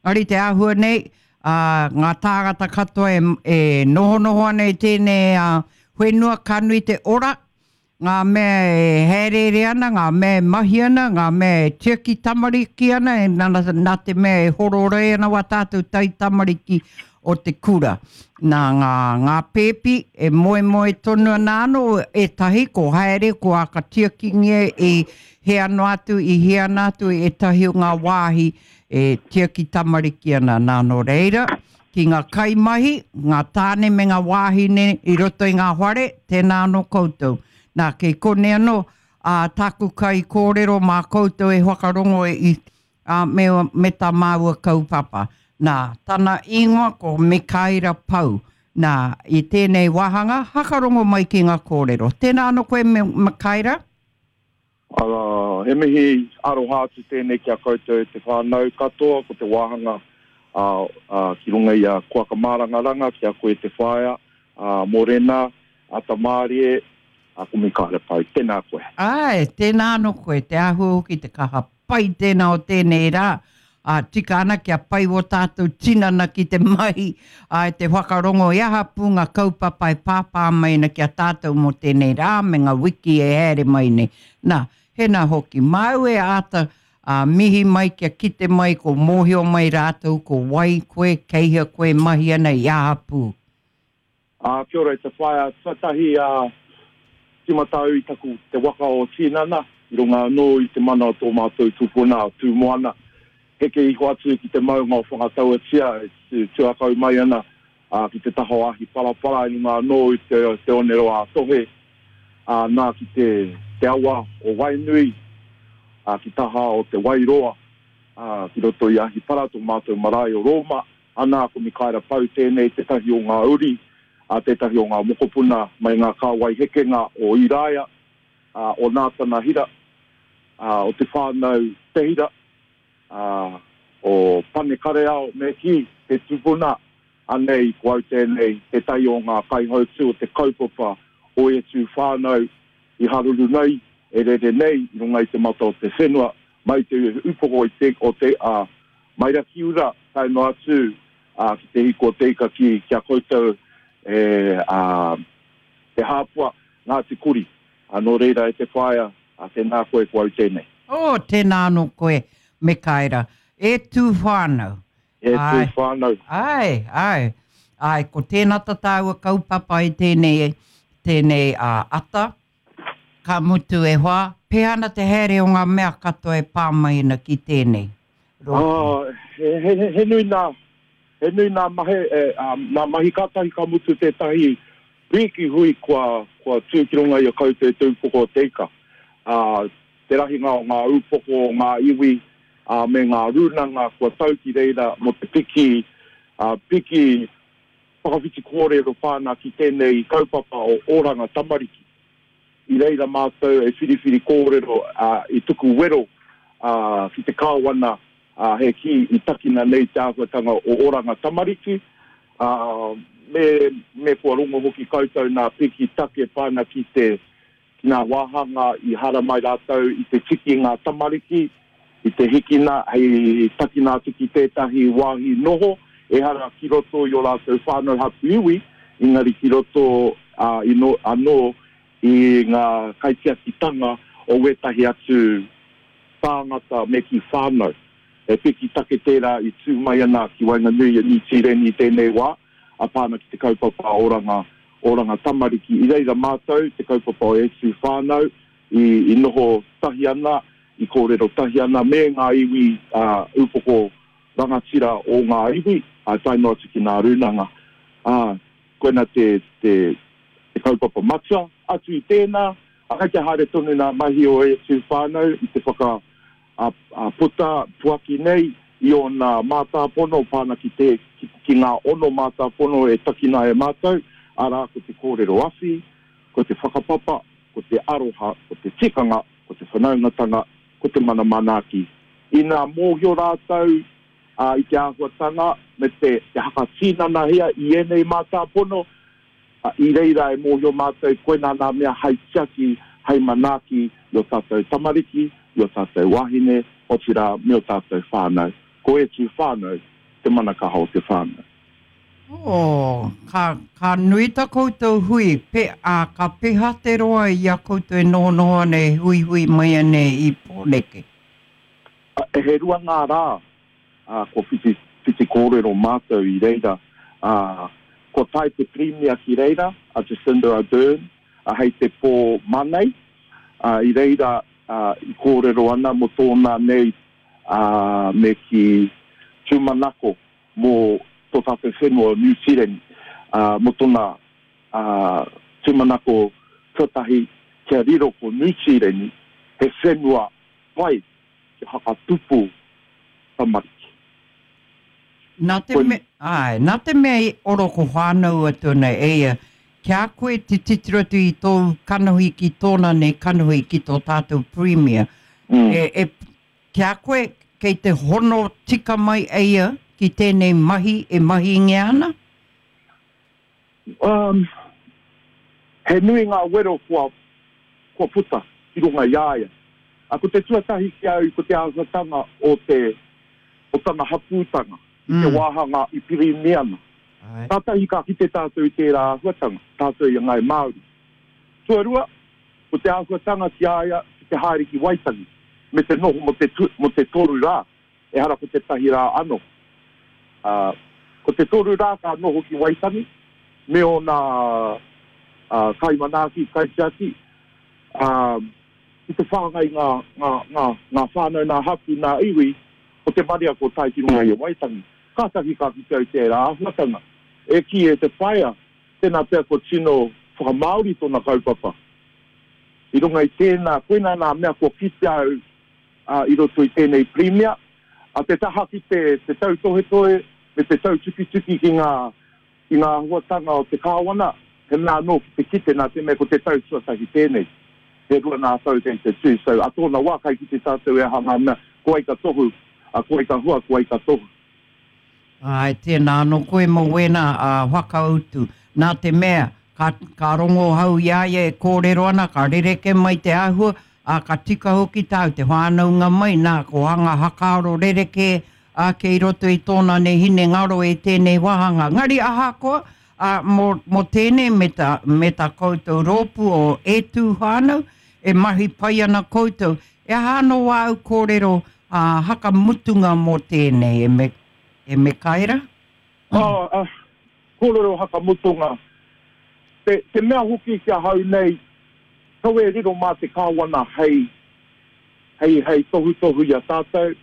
Engari te āhua nei, ā, ngā tāngata katoa e, e nohonoho ana i tēnei ā, whenua ka nui te ora, ngā mea e hāereere ana, ngā mea e mahi ana, ngā mea e tiaki tamariki ana, e nā, nā te mea e hororei ana wā tātou taitamariki o te kura. Nā ngā, ngā pēpi e moemoe tonu ana anō ētahi ko haere, ko ākatiakingia i hea noa atu, i hea ana atu ētahi o ngā wāhi e tiaki tamariki ana. Nā, nō reira, ki ngā kaimahi, ngā tāne me ngā wāhine i roto i ngā whare, tēnā anō koutou. Nā, kei konei anō, ā, tāku kaikōrero mā koutou e whakarongo i, ā, me, me tā māua kaupapa. Nā, tana ingoa ko Mikaera Pau. Nā, i tēnei wāhanga, hakarongo mai ki ngā kōrero. Tēnā anō koe, Mikaera. Arā, he mihi aroha atu tēnei ki a koutou e te whānau katoa, ko te wāhanga ki runga i a Kuaka Mārangaranga, ki a koe te whaea, a Morena, a Tamārie, a ko Mikaere Pau. Tēnā koe. Āe, tēnā anō koe, te āhua hoki, te kaha pai tēnā o tēnei rā, ā, tika ana kia pai wō tātou tinana ki te mahi, āe, te whakarongo i aha pū ngā kaupapa e pāpā mai ana ki a tātou mō tēnei rā me ngā wiki e haere mai nei. Nā, hēnā hoki, māu e āta, ā, mihi mai kia kite mai ko mōhio mai rātou ko wai koe, kei hea koe e mahi ana i aha pū. Ā, kia ora e te whaea tuatahi ā, tīmata au i taku te waka o Tinana, i runga anō i te mana o tō mātou tupuna o Tūmoana, heke iho atu ki te maunga o Whangatauatia e tuakau mai ana ā, ki te taha o Ahiparapara i runga anō i te, te oneroa a Tohe, ā, nā ki te, te awa o Wainui, ā, ki taha o Te Wairoa, ā, ki roto i Ahipara, tō mātou marae o Rōma. Ana, ko Mikaera Pau tēnei tētahi o ngā uri, ā, tētahi o ngā mokopuna mai ngā kāwai hekenga o Iraia, ā, o Nātana Hira, ā, o te whānau Te Hira, ā, o Pane Kareao, me kī, te tupuna, anei, ko au tēnei, tētahi o ngā kaihautū o te kaupapa o E Tū Whānau i haruru nei, e rere nei i runga i te mata o te whenua, mai te upoko i te, o te, ā, Mai Rakiura tae noa atu ki te hiko o te ika ki ki a koutou e a Te Hāpua, Ngāti Kuri. Nō reira e te whaea, tēnā koe ko au tēnei. Oh, tēnā anō koe, Mekaera. E tū whānau. E tū whānau. Āe, āe. Āe, ko tēnā ta tāua kaupapa i tēnei, tēnei ata. Ka mutu e hoa, pēhea ana te haere o ngā mea katoa e pā mai ana ki tēnei rōpū? Oh, he, he, he nui nā, he nui nā mahe, e, um, nā mahi kātahi ka mutu tētahi pīki hui kua, kua tū ki runga i a koutou te upoko o te ika. Ā, te rahinga o ngā upoko o ngā iwi, ā, me ngā rūnanga kua tau ki reira mō te piki, ā, piki whakawhiti kōrero whāna ki tēnei kaupapa o Oranga Tamariki. I reira mātou e whiriwhiri kōrero, ā, i tuku wero, ā, ki te Kāwana, ā, he kī i takina nei te āhuatanga o Oranga Tamariki, ā, me, me kua rongo hoki koutou nā piki take whāna ki te, ki ngā wāhanga i haramai rātou i te tiki i ngā tamariki, i te hikina hei takina atu ki tētahi wāhi noho, ehara ki roto i ō rātou whānau hapū iwi, engari ki roto anō i ngā kaitiakitanga o wētahi atu tāngata me kī whānau. He piki take tērā i tū mai ana ki waenganui i a Niu Tīreni i tēnei wā, a pā ana ki te kaupapa oranga, oranga tamariki. I reira mātou, te kaupapa o E Tū Whānau, i, i noho tahi ana, i kōrero tahi ana me ngā iwi ā, upoko rangatira o ngā iwi, ā, tae noa atu ki ngā rūnanga. Ā, koina te, te, te kaupapa matua. Atu i tēnā, ā, kei te haere tonu ngā mahi o E Tū Whānau i te whaka, ā, puta, puaki nei i ōna mātāpono pā ana ki te, ki, ki ngā ono mātāpono e takina e mātou, arā, ko te kōrero awhi, ko te whakapapa, ko te aroha, ko te tikanga, ko te whanaungatanga, ko te mana manaaki. Inā mōhio rātou, ā, i te āhuatanga me te, te hakatinanahia i ēnei mātāpono, Ā, i reira e mōhio mātou koinā nā mea hai tiaki, hai manaaki i ō tātou tamariki, i ō tātou wāhine, otirā me ō tātou whānau. Ko E Tū Whānau te mana kaha o te whānau. Oh, ka, ka nui ta koutou hui, pe, a, ka peha te roa i a koutou e nohonoho ana e huihui mai ana i Pōneke? He rua ngā rā ā, kua whiti, whiti kōrero mātou i reira, ā, kua tae te Pirimia ki reira, a Jacinda Ardern, ā, hei te pō Manei, ā, i reira, ā, i kōrero ana mō tōna nei, ā, me kī, tūmanako mō tō tātou whenua o Niu Tīreni, ā, mō tōna, ā, tūmanako tuatahi kia riro ko Niu Tīreni he whenua pai kia whakatupu tamariki. Nā te mea, āe, nā te mea i oroko whānau atu ana e ia, ki a koe te titiro atu i tōu kanohi ki tōna nei kanohi ki tō tātou Premier, e, e, Ki a koe, kei te hono tika mai a ia ki tēnei mahi e mahingia ana? Um, he nui ngā wero kua, kua puta ki runga i a ia. A, ko te tuatahi ki a au ko te āhuatanga o te, o tana hapūtanga i te wāhanga i Piriniana. Kātahi ka kite tātou i tērā āhuatanga, tātou i a Ngāi Māori. Tuarua, Ko te āhuatanga ki a ia ki te haere ki Waitangi me te noho mo te mo te toru rā, ehara ko tētahi rā ano. Ā, ko te toru rā ka noho ki Waitangi me ōna ā, kaimanaaki, kaitiaki, ā, ki te whāngai ngā, ngā, ngā, ngā whānau, ngā hapū, ngā iwi o te marea kua tae ki runga i a Waitangi. Kātahi ka kite au tērā āhuatanga. E kī e te whaea, Tēnā pea kua tino whakamāori tōna kaupapa. I runga i tēnā, koinā nā mea kua kitea au i roto i tēnei Pirimia, a te taha ki te te tautohetohe me te tautukituki ki ngā ki ngā āhuatanga o te Kāwana, he mea anō ki te kite nā te mea ko te tau tuatahi tēnei. He rua nā tau kei te tū, so a tōna wā kai kite tātou e aha ngā mea, ko wai ka tohu, a ko wai ka hua, ko wai ka tohu. Āe, tēnā anō koe mō wēnā whakautu. Nā te mea, ka, ka rongo ahau i a ia e kōrero ana, ka rerekē mai te āhua, ā, ka tika hoki tāu te whānaunga mai, nā, ko anga hakaaro rerekē ake i roto i tōna nei hinengaro e tēnei wāhanga. Engari ahakoa, ā, mō, mō tēnei me tā, me tā koutou rōpū o E Tū Whānau, e mahi pai ana koutou. E aha anō āu kōrero ā, hakamutunga mō tēnei, e me, e Mekaera? Ā, ā, kōrero hakamutunga. Te, te mea hoki ki ahau nei, kaua e riro mā te Kāwana hei, hei, hei tohutohu i a tātou,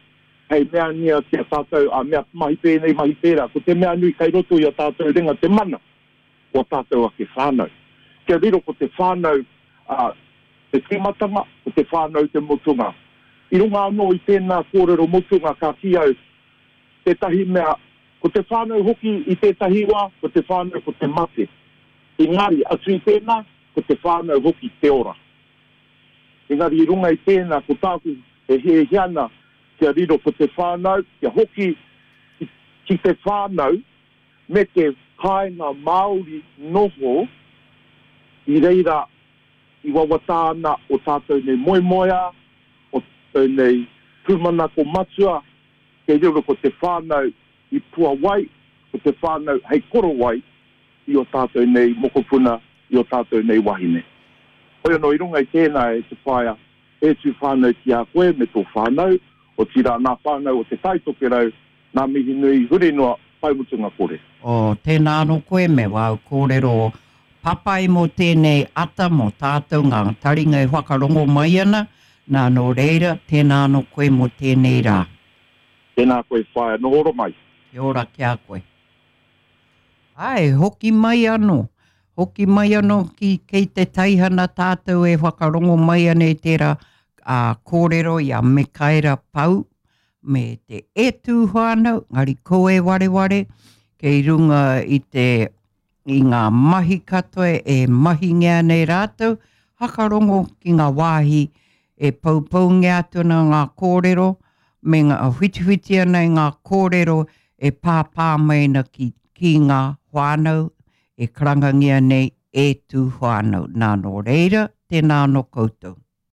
hei meangia ki a tātou, ā, mea mahi pēnei, mahi pērā. Ko te mea nui kei roto i a tātou ringa te mana. o a tātou ake whānau. Kia riro ko te whānau te tīmatanga, ko te whānau te mutunga. I runga anō i tēnā kōrero mutunga ka kī au, tētahi mea, ko te whānau hoki i tētahi wā, ko te whānau ko te mate. Engari, atu i tēnā, ko te whānau hoki te ora. Engari i runga i tēnā, ko tāku e hiahia ana kia riro ko te whānau, kia hoki ki te whānau, me te kāinga Māori noho i reira i wawata ana o tātou nei moemoeā, o tātou nei tūmanako matua, kei riro ko te whānau i puawai, ko te whānau hei korowai i o tātou nei mokopuna, i o tātou nei wahine. Hoi anō i runga i tēnā e te whaea, e tū whānau ki a koe me tō whānau, otirā nā whānau o Te Tai Tokerau, Ngā mihi nui huri noa, pai mutunga kore. Oh, tēnā anō koe me wāu kōrero papai mō tēnei ata mō tātou ngā taringa e whakarongo mai ana, nā nō reira, tēnā anō koe mō tēnei rā. Tēnā koe whaea, noho ora mai. Kia ora ki a koe. Āe, hoki mai anō. Hoki mai anō ki kei te teihana tātou e whakarongo mai ana i tērā kōrero i a Mikaera Pau me te E Tū Whānau, engari ko e wareware, kei runga i te i ngā mahi katoa e mahingia nei rātou, hakarongo ki ngā wāhi e poupoungia atu ana ngā kōrero, me ngā whitiwhiti ana i ngā kōrero e pāpā mai ana ki, ki ngā whānau e karangangia nei E Tū Whānau. Nā, nō reira, tēnā anō koutou.